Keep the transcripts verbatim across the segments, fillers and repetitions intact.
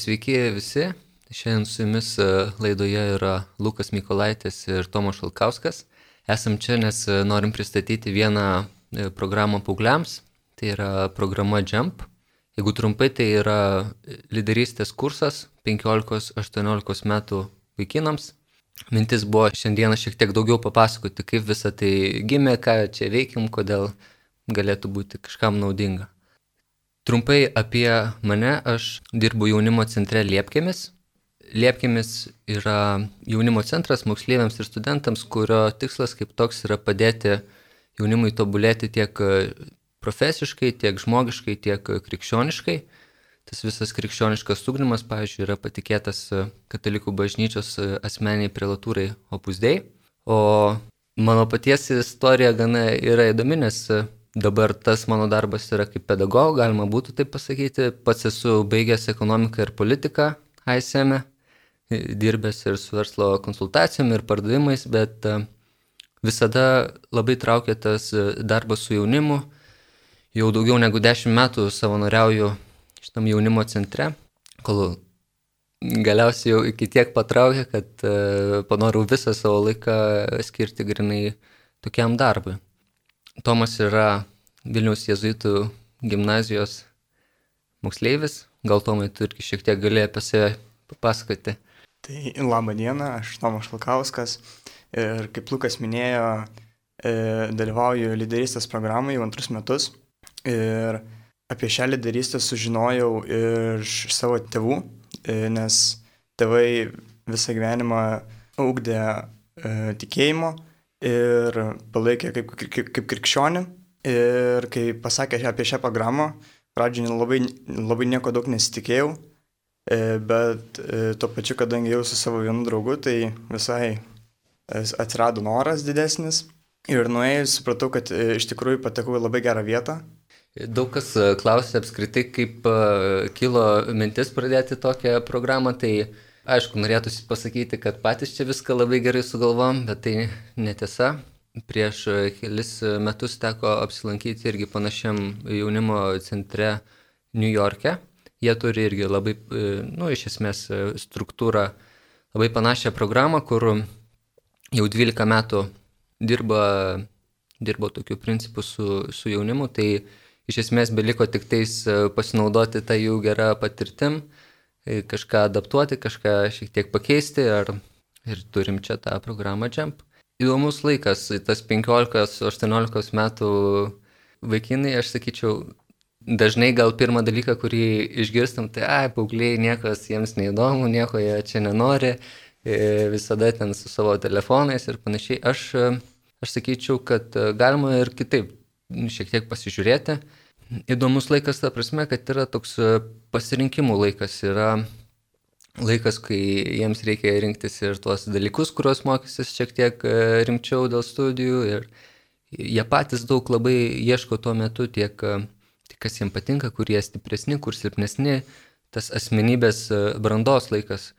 Sveiki visi. Šiandien su jumis laidoje yra Lukas Mykolaitis ir Tomas Šalkauskas. Esam čia, nes norim pristatyti vieną programą paaugliams. Tai yra programa Jump. Jeigu trumpai, tai yra lyderystės kursas penkiolikos aštuoniolikos metų vaikinams. Mintis buvo šiandieną šiek tiek daugiau papasakoti, kaip visa tai gimė, ką čia veikim, kodėl galėtų būti kažkam naudinga. Trumpai apie mane, aš dirbu jaunimo centre Liepkėmis. Liepkėmis yra jaunimo centras moksleiviams ir studentams, kurio tikslas kaip toks yra padėti jaunimui tobulėti tiek profesiškai, tiek žmogiškai, tiek krikščioniškai. Tas visas krikščioniškas ugdymas, pavyzdžiui, yra patikėtas Katalikų bažnyčios asmeniai prelatūrai Opus Dei. O mano paties istorija gana yra įdomi, nes dabar tas mano darbas yra kaip pedagogo, galima būtų taip pasakyti. Pats esu baigęs ekonomiką ir politiką A S M, dirbęs ir su verslo konsultacijom ir pardavimais, bet visada labai traukia tas darbas su jaunimu. Jau daugiau negu dešimt metų savanoriauju šitam jaunimo centre, kol galiausiai jau iki tiek patraukė, kad panorau visą savo laiką skirti grinai tokiam darbui. Tomas yra Vilniaus jėzuitų gimnazijos moksleivis. Gal Tomai, tu irgi šiek tiek gali apie save papasakoti. Tai labą dieną, aš Tomas Šalkauskas ir kaip Lukas minėjo, dalyvauju lyderystės programai jau antrus metus. Ir apie šią lyderystę sužinojau iš savo tėvų, nes tėvai visą gyvenimą ugdė tikėjimo ir palaikė kaip, kaip, kaip krikščionį. Ir kai pasakė apie šią programą, pradžioje labai, labai nieko daug nesitikėjau, bet tuo pačiu, kadangi jau su savo vienu draugu, tai visai atsirado noras didesnis. Ir nuėjus supratau, kad iš tikrųjų patekau į labai gerą vietą. Daug kas klausė apskritai, kaip kilo mintis pradėti tokią programą, tai aišku, norėtųsi pasakyti, kad patys čia viską labai gerai sugalvom, bet tai netiesa. Prieš kelis metus teko apsilankyti irgi panašiam jaunimo centre New York'e. Jie turi irgi labai, nu, iš esmės struktūrą, labai panašią programą, kur jau dvylika metų dirba, dirbo tokiu principu su, su jaunimu. Tai iš esmės beliko tik tais pasinaudoti tą jų gerą patirtim, kažką adaptuoti, kažką šiek tiek pakeisti, ar, ir turim čia tą programą Jump. Įdomus laikas, tas penkiolikos aštuoniolikos metų vaikinai, aš sakyčiau, dažnai gal pirmą dalyką, kurį išgirstam, tai ai, paaugliai, niekas jiems neįdomu, nieko jie čia nenori, visada ten su savo telefonais ir panašiai. Aš, aš sakyčiau, kad galima ir kitaip šiek tiek pasižiūrėti. Įdomus laikas, ta prasme, kad yra toks pasirinkimų laikas, yra laikas, kai jiems reikia rinktis ir tuos dalykus, kuriuos mokysis šiek tiek rimčiau dėl studijų, ir jie patys daug labai ieško tuo metu tiek, tiek kas jiems patinka, kur jie stipresni, kur silpnesni, tas asmenybės brandos laikas.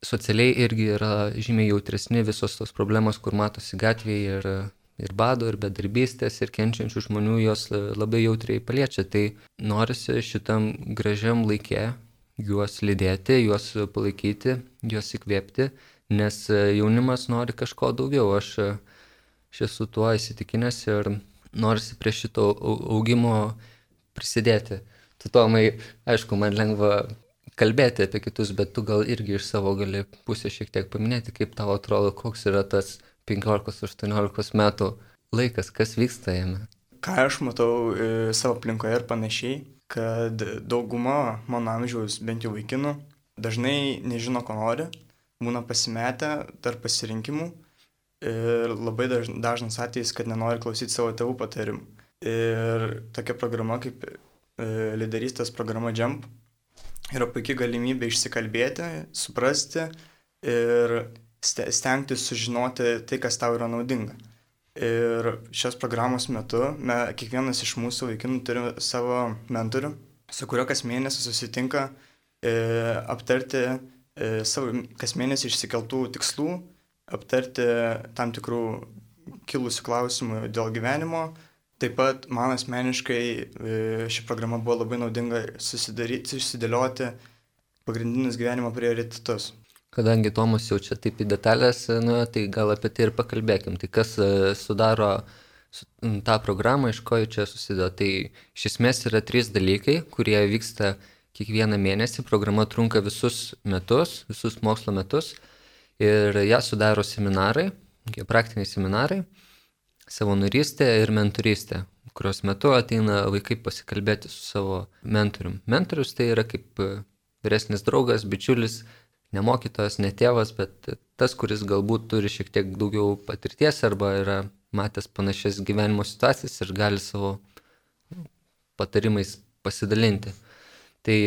Socialiai irgi yra žymiai jautresni visos tos problemos, kur matosi gatvėje, ir ir bado, ir bedarbystės, ir kenčiančių žmonių jos labai jautriai paliečia. Tai norisi šitam gražiam laikė juos lydėti, juos palaikyti, juos įkvėpti, nes jaunimas nori kažko daugiau. Aš, aš esu tuo įsitikinęs ir norisi prie šito augimo prisidėti. Tu, Tomai, aišku, man lengva kalbėti apie kitus, bet tu gal irgi iš savo gali pusę šiek tiek paminėti, kaip tau atrodo, koks yra tas penkiolikos aštuoniolikos metų laikas, kas vyksta jame. Ką aš matau savo aplinkoje ir panašiai, kad dauguma mano amžiaus, bent jau vaikinų, dažnai nežino, ko nori, būna pasimetę tarp pasirinkimų ir labai dažnas atvejis, kad nenori klausyti savo tėvų patarimų. Ir tokia programa kaip lyderystės programa Jump yra puikia galimybė išsikalbėti, suprasti ir stengtis sužinoti tai, kas tau yra naudinga. Ir šios programos metu me, kiekvienas iš mūsų vaikinų turi savo mentorių, su kuriuo kas mėnesį susitinka e, aptarti e, savo kas mėnesį išsikeltų tikslų, aptarti tam tikrų kilusių klausimų dėl gyvenimo, Taip pat man asmeniškai ši programa buvo labai naudinga susidaryti, susidėlioti pagrindinius gyvenimo prioritetus. Kadangi Tomas jau čia taip į detalės, nu, tai gal apie tai ir pakalbėkim. Tai kas sudaro tą programą, iš ko čia susideda. Tai iš esmės yra trys dalykai, kurie vyksta kiekvieną mėnesį. Programa trunka visus metus, visus mokslo metus ir ją sudaro seminarai, praktiniai seminarai, savanorystė ir mentorystė, kurios metu ateina vaikai pasikalbėti su savo mentorium. Mentorius tai yra kaip vyresnis draugas, bičiulis, ne mokytojas, ne tėvas, bet tas, kuris galbūt turi šiek tiek daugiau patirties arba yra matęs panašias gyvenimo situacijas ir gali savo patarimais pasidalinti. Tai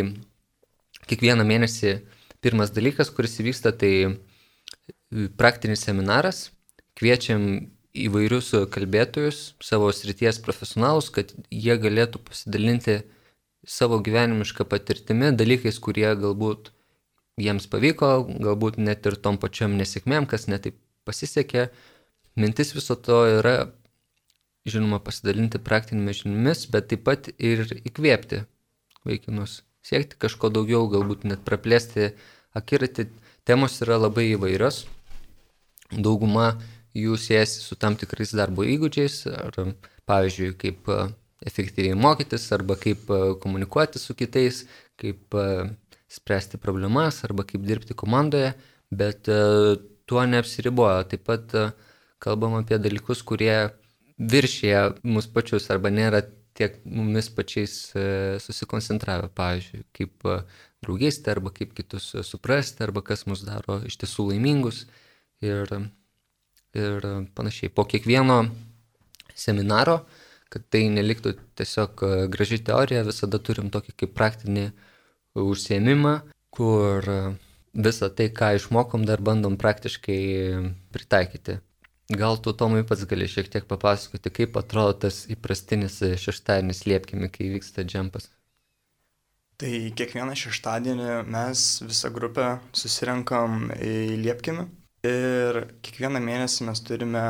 kiekvieną mėnesį pirmas dalykas, kuris įvyksta, tai praktinis seminaras. Kviečiam įvairius kalbėtojus, savo srities profesionalus, kad jie galėtų pasidalinti savo gyvenimišką patirtimi, dalykais, kurie galbūt jiems pavyko, galbūt net ir tom pačiom nesėkmėm, kas netaip pasisekė. Mintis viso to yra, žinoma, pasidalinti praktinėmis žiniomis, bet taip pat ir įkvėpti vaikinus, siekti kažko daugiau, galbūt net praplėsti akiratį. Temos yra labai įvairios. Dauguma jų siejasi su tam tikrais darbo įgūdžiais, ar pavyzdžiui, kaip efektyviai mokytis, arba kaip komunikuoti su kitais, kaip spręsti problemas, arba kaip dirbti komandoje, bet tuo neapsiriboja. Taip pat kalbam apie dalykus, kurie viršyje mus pačius, arba nėra tiek mumis pačiais susikoncentravę, pavyzdžiui, kaip draugystė, arba kaip kitus suprasti, arba kas mus daro iš tiesų laimingus ir ir panašiai. Po kiekvieno seminaro, kad tai neliktų tiesiog graži teorija, visada turim tokį kaip praktinį užsiėmimą, kur visą tai, ką išmokom, dar bandom praktiškai pritaikyti. Gal tu, Tomai, pats gali šiek tiek papasakoti, kaip atrodo tas įprastinis šeštadienis Liepkimi, kai vyksta džempas? Tai kiekvieną šeštadienį mes visą grupę susirenkam į Liepkimį. Ir kiekvieną mėnesį mes turime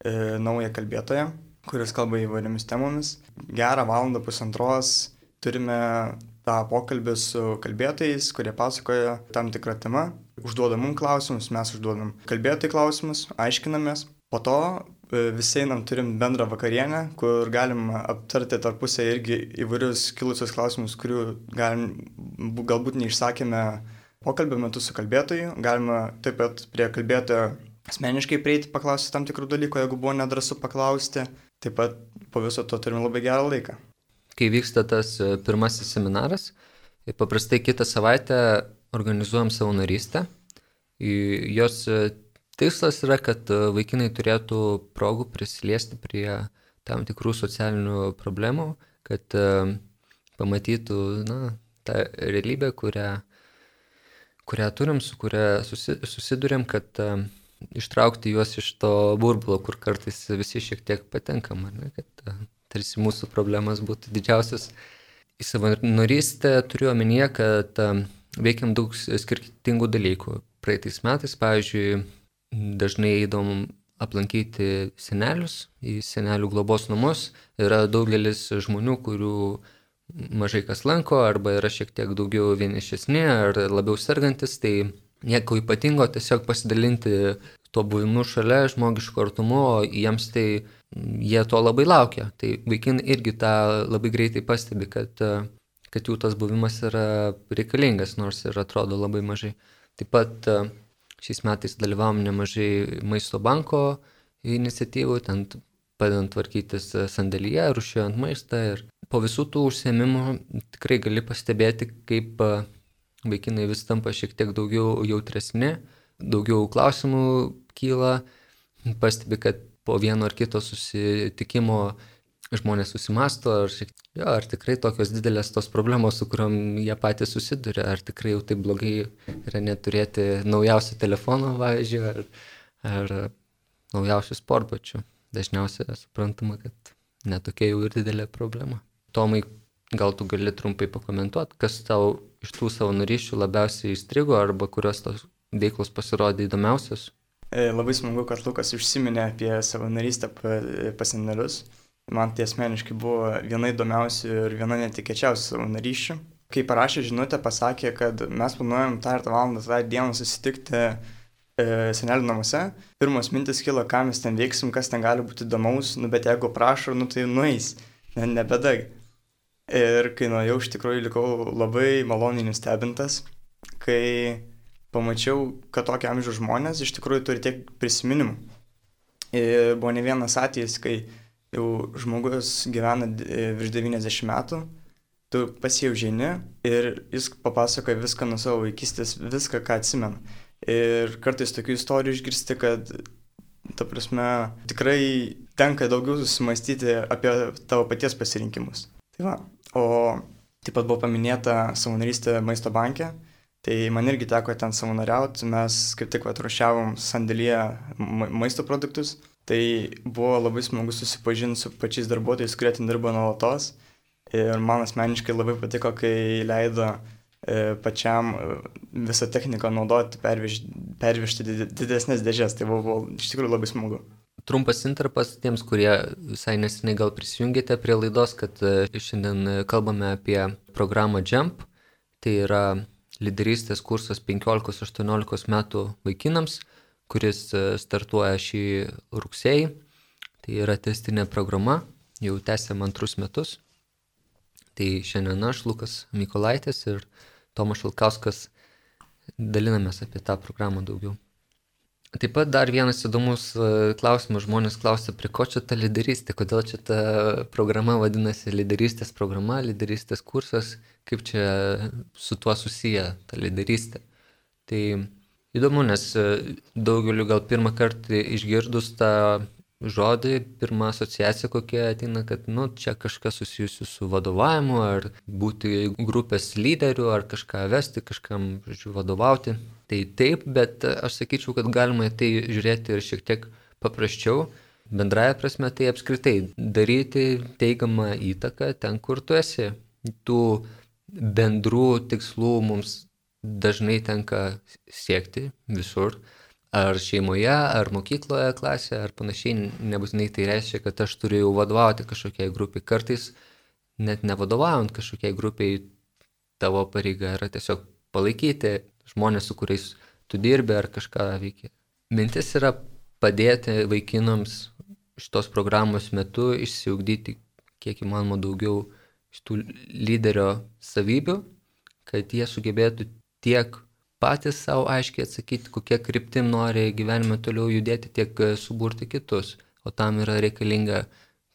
e, naują kalbėtoją, kuris kalba įvairiomis temomis. Gerą valandą pusantros turime tą pokalbį su kalbėtojais, kurie pasakoja tam tikrą temą. Užduodam mums klausimus, mes užduodam kalbėtojai klausimus, aiškinamės. Po to e, visi einam turim bendrą vakarienę, kur galim aptarti tarpusę irgi įvairius kilusius klausimus, kurių galim, galbūt neišsakėme pokalbio metu su kalbėtoju. Galima taip pat prie kalbėtojo asmeniškai prieiti, paklausti tam tikrų dalykų, jeigu buvo nedrąsu paklausti. Taip pat po viso to turime labai gerą laiką. Kai vyksta tas pirmasis seminaras, paprastai kitą savaitę organizuojam savanorystę. Jos tikslas yra, kad vaikinai turėtų progų prisiliesti prie tam tikrų socialinių problemų, kad pamatytų na, tą realybę, kurią kurią turim, su kuria susi, susidurėm, kad uh, ištraukti juos iš to burbulo, kur kartais visi šiek tiek patenkam, ar ne, kad uh, tarsi mūsų problemas būtų didžiausias. Į savanorystę turiu omenyje, kad uh, veikiam daug skirtingų dalykų. Praeitais metais, pavyzdžiui, dažnai eidom aplankyti senelius į senelių globos namus. Yra daugelis žmonių, kurių mažai kas lanko, arba yra šiek tiek daugiau vienišesni ar labiau sergantis, tai nieko ypatingo, tiesiog pasidalinti tuo buvimu šalia, žmogišku artumu, o jiems tai jie to labai laukia. Tai vaikinai irgi tą labai greitai pastebi, kad, kad jų tas buvimas yra reikalingas, nors ir atrodo labai mažai. Taip pat šiais metais dalyvavom nemažai Maisto banko iniciatyvų, ten padedant tvarkytis sandėlyje, rūšiuojant maistą. Ir po visų tų užsiėmimų tikrai gali pastebėti, kaip vaikinai vis tampa šiek tiek daugiau jautresni, daugiau klausimų kyla, pastebi, kad po vieno ar kito susitikimo žmonės susimasto, ar, šiek, jo, ar tikrai tokios didelės tos problemos, su kuriuom jie patys susiduria, ar tikrai jau taip blogai yra neturėti naujausių telefonų, pavyzdžiui, ar, ar naujausių sportbačių. Dažniausiai suprantama, kad netokia jau ir didelė problema. Tomai, gal tu gali trumpai pakomentuoti, kas tau iš tų savanorysčių labiausiai įstrigo arba kurios tos veiklos pasirodė įdomiausios? Labai smagu, kad Lukas užsiminė apie savanorystę pas senelius. Man tai asmeniškai buvo viena įdomiausių ir viena netikėčiausių savanorysčių. Kai parašė žinutę, pasakė, kad mes planuojam tą ir tą valandą, tą dieną susitikti e, senelių namuose. Pirmos mintis kilo, ką mes ten veiksim, kas ten gali būti įdomaus, nu bet jeigu prašo, nu tai nueis, ne, nebedag. Ir kai nuėjau, iš tikrųjų likau labai maloniai nustebintas, kai pamačiau, kad tokio amžiaus žmonės iš tikrųjų turi tiek prisiminimų. Ir buvo ne vienas atvejis, kai jau žmogus gyvena virš devyniasdešimt metų, tu pas jį užeini ir jis papasakoja viską nuo savo vaikystės, viską, ką atsimena. Ir kartais tokių istorijų išgirsti, kad, ta prasme, tikrai tenka daugiau susimastyti apie tavo paties pasirinkimus. Tai va, o taip pat buvo paminėta savanorystė Maisto banke, tai man irgi teko ten savanoriauti, mes kaip tik atrušiavom sandėlyje ma- maisto produktus, tai buvo labai smagu susipažinti su pačiais darbuotojais, kurie ten dirbo nuolatos. Ir man asmeniškai labai patiko, kai leido e, pačiam e, visą techniką naudoti, pervež, pervežti didesnės dėžės. Tai buvo, buvo iš tikrųjų labai smagu. Trumpas intarpas tiems, kurie visai neseniai gal prisijungėte prie laidos, kad šiandien kalbame apie programą Jump. Tai yra lyderystės kursas penkiolikos aštuoniolikos metų vaikinams, kuris startuoja šį rugsėjį. Tai yra testinė programa, jau tęsiam antrus metus. Tai šiandien aš, Lukas Mykolaitis ir Tomas Šalkauskas dalinamės apie tą programą daugiau. Taip pat dar vienas įdomus klausimas, žmonės klausia, prie ko čia ta lyderystė, kodėl čia ta programa vadinasi lyderystės programa, lyderystės kursas, kaip čia su tuo susiję ta lyderystė. Tai įdomu, nes daugeliu gal pirmą kartą išgirdus tą žodį, pirma asociacija kokia ateina, kad nu, čia kažkas susijusi su vadovavimu, ar būti grupės lyderiu, ar kažką vesti, kažkam, žodžiu, vadovauti. Tai taip, bet aš sakyčiau, kad galima tai žiūrėti ir šiek tiek paprasčiau. Bendraja prasme tai apskritai daryti teigiamą įtaką ten, kur tu esi. Tų bendrų tikslų mums dažnai tenka siekti visur. Ar šeimoje, ar mokykloje, klasėje, ar panašiai, nebūtinai tai reiškia, kad aš turiu jau vadovauti kažkokiai grupiai. Kartais net nevadovaujant kažkokiai grupiai, tavo pareiga yra tiesiog palaikyti žmonės, su kuriais tu dirbi ar kažką veiki. Mintis yra padėti vaikinams šitos programos metu išsiugdyti kiek įmanoma daugiau šitų lyderio savybių, kad jie sugebėtų tiek patys savo aiškiai atsakyti, kokie kryptim nori gyvenime toliau judėti, tiek suburti kitus. O tam yra reikalinga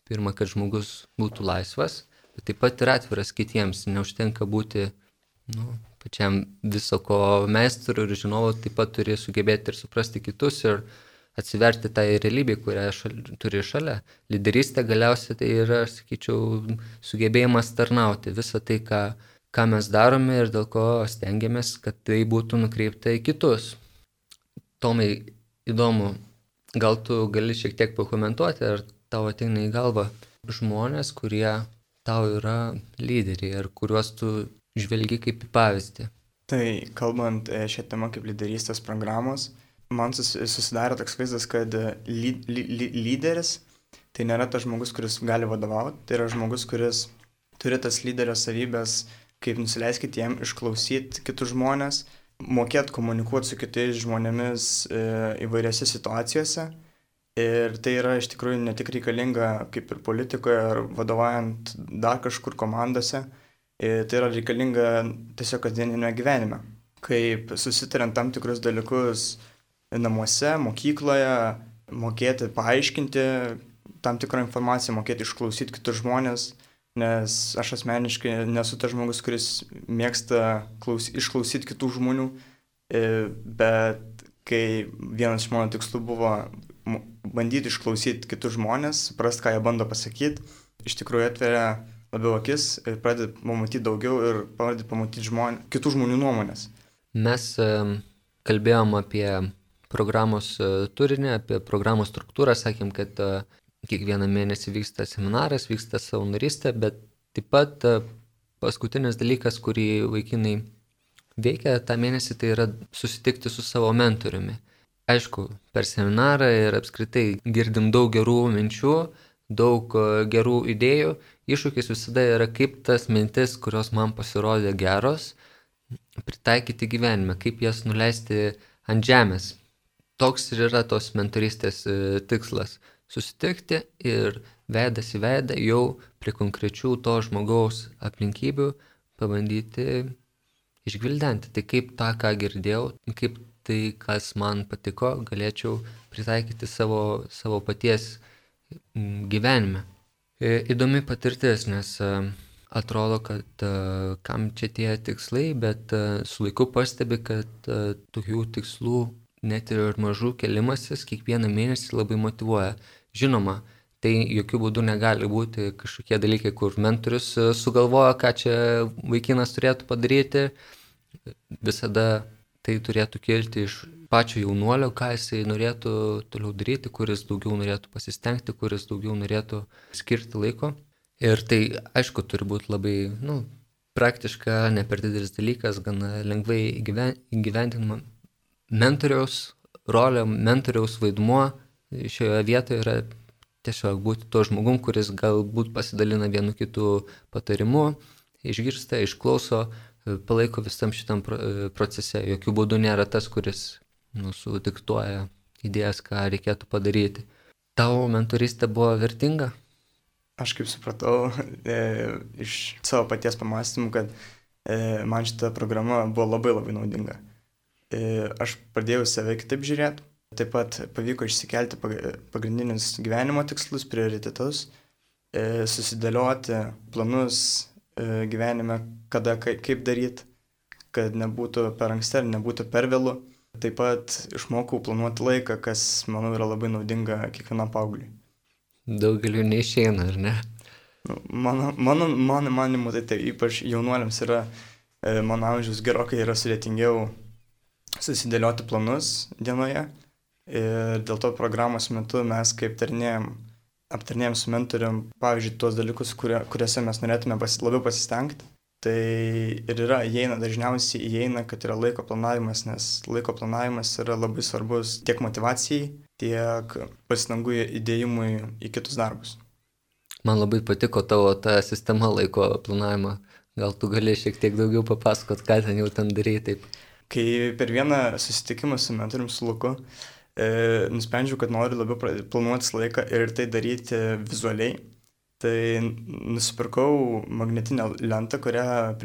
pirma, kad žmogus būtų laisvas, bet taip pat ir atviras kitiems. Neužtenka būti nu, pačiam viso ko meistru ir žinovu, taip pat turi sugebėti ir suprasti kitus ir atsiverti tą realybę, kurią šal, turi šalia. Lyderystė galiausiai tai yra, aš sakyčiau, sugebėjimas tarnauti visą tai, ką ką mes darome ir dėl ko stengiamės, kad tai būtų nukreipta į kitus. Tomai, įdomu, gal tu gali šiek tiek pakomentuoti, ar tau ateina į galvą žmonės, kurie tau yra lyderiai, ar kuriuos tu žvelgi kaip į pavyzdį? Tai kalbant šią temą kaip lyderystės programos, man susidarė toks vaizdas, kad ly, ly, lyderis tai nėra tas žmogus, kuris gali vadovauti, tai yra žmogus, kuris turi tas lyderio savybės, kaip nusileisti kitiem, išklausyti kitus žmonės, mokėti komunikuoti su kitais žmonėmis e, įvairiose situacijose. Ir tai yra iš tikrųjų ne tik reikalinga kaip ir politikoje ar vadovaujant dar kažkur komandose, e, tai yra reikalinga tiesiog kasdieninėme gyvenime. Kaip susitariant tam tikrus dalykus namuose, mokykloje, mokėti paaiškinti tam tikrą informaciją, mokėti išklausyti kitus žmonės. Nes aš asmeniškai nesu tas žmogus, kuris mėgsta klaus, išklausyti kitų žmonių, bet kai vienas iš mano tikslų buvo bandyti išklausyti kitus žmonės, suprasti, ką jie bando pasakyti, iš tikrųjų atveria labiau akis ir pradedi pamatyti daugiau ir pradedi pamatyti žmonės, kitų žmonių nuomonės. Mes kalbėjom apie programos turinį, apie programos struktūrą, sakėm, kad kiekvieną mėnesį vyksta seminaras, vyksta savanorystė, bet taip pat paskutinis dalykas, kurį vaikinai veikia tą mėnesį, tai yra susitikti su savo mentoriumi. Aišku, per seminarą ir apskritai girdim daug gerų minčių, daug gerų idėjų. Iššūkis visada yra, kaip tas mintis, kurios man pasirodė geros, pritaikyti gyvenime, kaip jas nuleisti ant žemės. Toks ir yra tos mentorystės tikslas – susitikti ir veidas į veidą jau prie konkrečių to žmogaus aplinkybių pabandyti išgvildenti. Tai kaip tą, ką girdėjau, kaip tai, kas man patiko, galėčiau pritaikyti savo, savo paties gyvenime. Įdomi patirtis, nes atrodo, kad kam čia tie tikslai, bet su laiku pastebi, kad tokių tikslų net ir mažų kelimasis kiekvieną mėnesį labai motyvuoja. Žinoma, tai jokių būdų negali būti kažkokie dalykai, kur mentorius sugalvoja, ką čia vaikinas turėtų padaryti. Visada tai turėtų kilti iš pačio jaunuolio, ką jisai norėtų toliau daryti, kuris daugiau norėtų pasistengti, kuris daugiau norėtų skirti laiko. Ir tai, aišku, turi būti labai nu, praktiška, ne per didelis dalykas, gana lengvai įgyvendinama. Mentoriaus rolė, mentoriaus vaidmuo šioje vietoje yra tiesiog būti tuo žmogum, kuris galbūt pasidalina vienu kitu patarimu, išgirsta, išklauso, palaiko visam šitam procese. Jokių būdų nėra tas, kuris nu, sudiktuoja idėjas, ką reikėtų padaryti. Tavo mentorystė buvo vertinga? Aš kaip supratau e, iš savo paties pamąstymų, kad e, man šita programa buvo labai labai naudinga. E, aš pradėjau save kitaip žiūrėti, taip pat pavyko išsikelti pagrindinius gyvenimo tikslus, prioritetus, e, susidėlioti planus e, gyvenime, kada, kaip daryti, kad nebūtų per anksti ar nebūtų per vėlu. Taip pat išmokau planuoti laiką, kas, manau, yra labai naudinga kiekvienam paaugliui. Daugeliu neišeina, ar ne? Mano, mano, mano manimu, tai, tai ypač jaunuoliams yra, e, mano amžiaus gerokai yra sudėtingiau susidėlioti planus dienoje. Ir dėl to programos metu mes kaip tarnėjom, aptarnėjom su mentorium, pavyzdžiui, tuos dalykus, kurie, kuriuose mes norėtume pasi, labiau pasistengti. Tai ir yra, įeina, dažniausiai įeina, kad yra laiko planavimas, nes laiko planavimas yra labai svarbus tiek motyvacijai, tiek pastangų įdėjimui į kitus darbus. Man labai patiko tavo ta sistema laiko planavimo. Gal tu gali šiek tiek daugiau papasakot, ką ten jau ten darai taip? Kai per vieną susitikimą su mentorium, su Luku, e, nusprendžiau, kad noriu labiau planuotis laiką ir tai daryti vizualiai, tai nusipirkau magnetinę lentą, kurią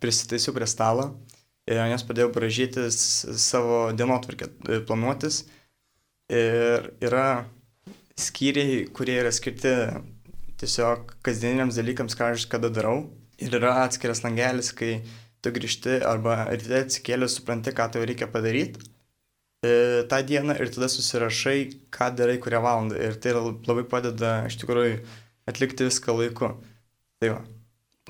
prisitaisiau prie stalo ir ant jos padėjau braižytis savo dienotvarkę, planuotis. Ir yra skyriai, kurie yra skirti tiesiog kasdieniniams dalykams, ką aš kada darau. Ir yra atskiras langelis, kai tu grįžti arba ryte atsikėlęs supranti, ką tau reikia padaryti e, tą dieną ir tada susirašai, ką darai, kurią valandą. Ir tai labai padeda iš tikrųjų atlikti viską laiku. Tai va.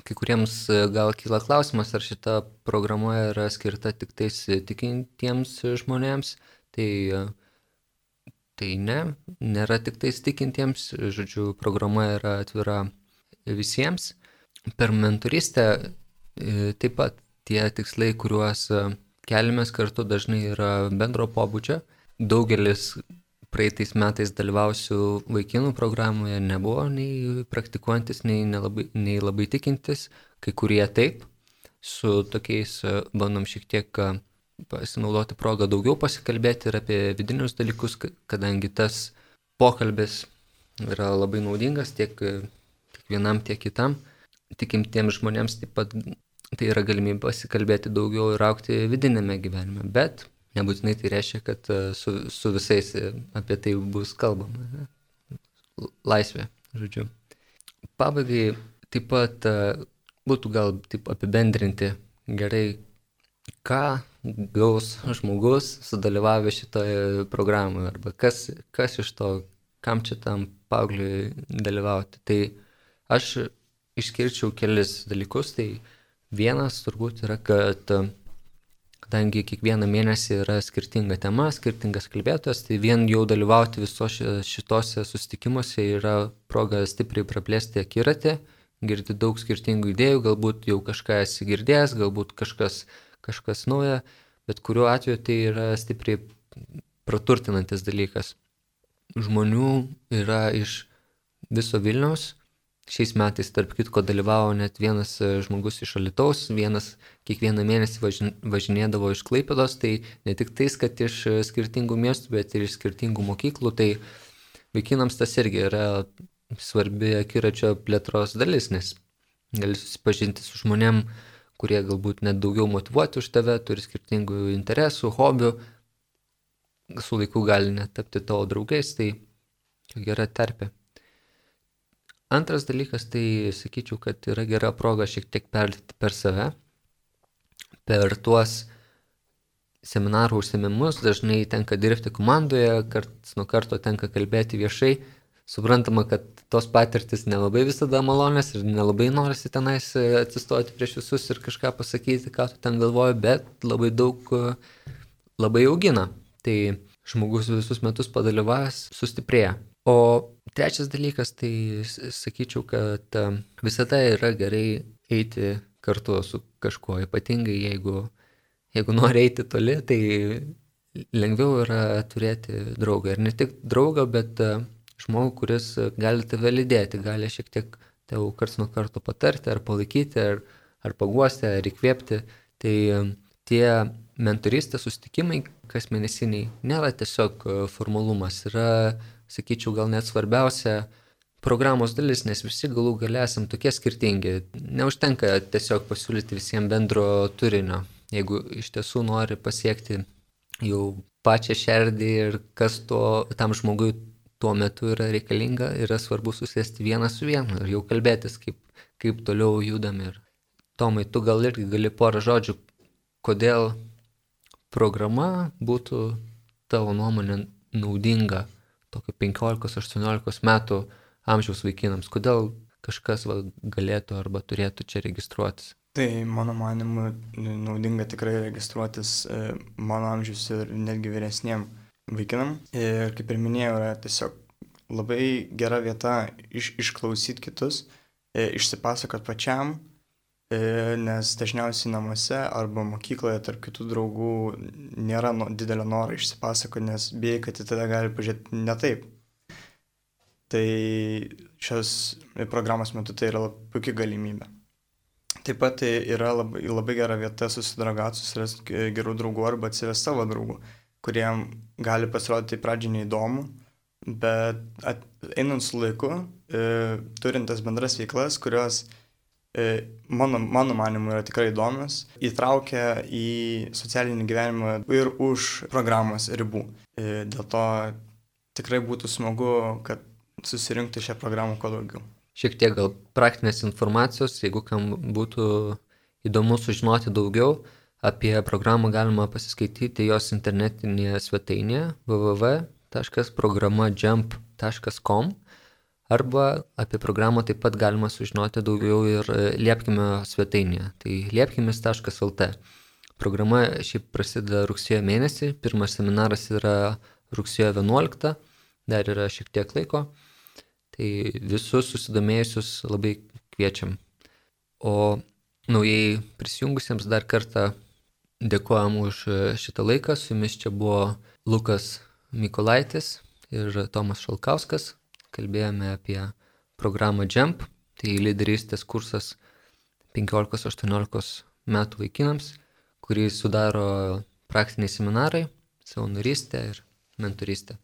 Kai kuriems gal kyla klausimas, ar šita programa yra skirta tik tais tikintiems žmonėms. Tai, tai ne, nėra tik tais tikintiems. Žodžiu, programa yra atvira visiems. Per mentorystę taip pat tie tikslai, kuriuos keliamės kartu, dažnai yra bendro pobūdžio. Daugelis praeitais metais dalyvausių vaikinų programoje nebuvo nei praktikuojantis, nei, nelabai, nei labai tikintis. Kai kurie taip. Su tokiais bandom šiek tiek pasinaudoti progą daugiau pasikalbėti ir apie vidinius dalykus, kadangi tas pokalbis yra labai naudingas tiek, tiek vienam, tiek kitam. Tikimtiems žmonėms taip pat tai yra galimybė pasikalbėti daugiau ir augti vidinėme gyvenime, bet nebūtinai tai reiškia, kad su, su visais apie tai bus kalbama. Laisvė, žodžiu. Pabaigai taip pat būtų gal taip apibendrinti gerai, ką gaus žmogus sudalyvavę šitoje programoje, arba kas, kas iš to, kam čia tam paaugliui dalyvauti. Tai aš išskirčiau kelis dalykus. Tai vienas turbūt yra, kad kadangi kiekvieną mėnesį yra skirtinga tema, skirtingas kalbėtojas, tai vien jau dalyvauti visos šitose susitikimuose yra proga stipriai praplėsti akiratį, girdi daug skirtingų idėjų, galbūt jau kažką esi girdėjęs, galbūt kažkas, kažkas nauja, bet kuriuo atveju tai yra stipriai praturtinantis dalykas. Žmonių yra iš viso Vilniaus. Šiais metais, tarp kitko, dalyvavo net vienas žmogus iš Alytaus, vienas kiekvieną mėnesį važin, važinėdavo iš Klaipėdos, tai ne tik tais, kad iš skirtingų miestų, bet ir iš skirtingų mokyklų, tai vaikinams tas irgi yra svarbi akiračio plėtros dalis, nes gali susipažinti su žmonėm, kurie galbūt net daugiau motyvuoti už tave, turi skirtingų interesų, hobių, su laiku gali net tapti tavo draugais, tai gera terpė. Antras dalykas, tai sakyčiau, kad yra gera proga šiek tiek perlipti per save. Per tuos seminarų užsiėmimus dažnai tenka dirbti komandoje, karts nuo karto tenka kalbėti viešai. Suprantama, kad tos patirtis nelabai visada malonės ir nelabai norisi tenais atsistoti prieš visus ir kažką pasakyti, ką tu ten galvoji, bet labai daug labai augina. Tai žmogus visus metus padalyvavęs sustiprėja. O trečias dalykas, tai sakyčiau, kad visada yra gerai eiti kartu su kažkuo, ypatingai jeigu, jeigu nori eiti toli, tai lengviau yra turėti draugą. Ir ne tik draugą, bet žmogų, kuris gali tave lydėti, gali šiek tiek tau karts nuo karto patarti, ar palaikyti, ar, ar paguosti, ar įkvėpti. Tai tie mentorystės susitikimai kasmėnesiniai nėra tiesiog formalumas, yra, sakyčiau, gal net svarbiausia programos dalis, nes visi galų gale esam tokie skirtingi. Neužtenka tiesiog pasiūlyti visiems bendro turinio. Jeigu iš tiesų nori pasiekti jau pačią šerdį ir kas to, tam žmogui tuo metu yra reikalinga, yra svarbu susėsti vieną su vienu ir jau kalbėtis, kaip, kaip toliau judam. Ir Tomai, tu gal irgi gali porą žodžių, kodėl programa būtų tavo nuomonė naudinga tokio penkiolikos aštuoniolikos metų amžiaus vaikinams. Kodėl kažkas va, galėtų arba turėtų čia registruotis? Tai mano manimu naudinga tikrai registruotis mano amžiaus ir netgi vyresniem vaikinam. Ir kaip ir minėjau, yra tiesiog labai gera vieta iš, išklausyti kitus, išsipasakot pačiam, nes dažniausiai namuose arba mokykloje tarp kitų draugų nėra no, didelio noro išsipasakoti, nes bijai, kad į tada gali pažiūrėti ne taip. Tai šios programos metu tai yra puikia galimybė. Taip pat tai yra labai, labai gera vieta susidraugauti, susirasti gerų draugų arba atsivesti savo draugų, kuriem gali pasirodyti pradžiai neįdomu, bet at, einant su laiku, e, turint tas bendras veiklas, kurios Mano, mano manimu yra tikrai įdomios, įtraukia į socialinį gyvenimą ir už programos ribų. Dėl to tikrai būtų smagu, kad susirinkti šią programą kuo daugiau. Šiek tiek gal praktinės informacijos, jeigu kam būtų įdomu sužinoti daugiau, apie programą galima pasiskaityti jos internetinėje svetainėje w w w taškas programa jump taškas com. Arba apie programą taip pat galima sužinoti daugiau ir Liepkimio svetainėje, tai liepkimis taškas el t. Programa šiaip prasideda rugsėjo mėnesį, pirmas seminaras yra rugsėjo vienuoliktą, dar yra šiek tiek laiko, tai visus susidomėjusius labai kviečiam. O naujai prisijungusiems dar kartą dėkojam už šitą laiką, su jumis čia buvo Lukas Mykolaitis ir Tomas Šalkauskas. Kalbėjome apie programą Jump, tai lyderystės kursas penkiolikos aštuoniolikos metų vaikinams, kurį sudaro praktiniai seminarai, savanorystė ir mentorystė.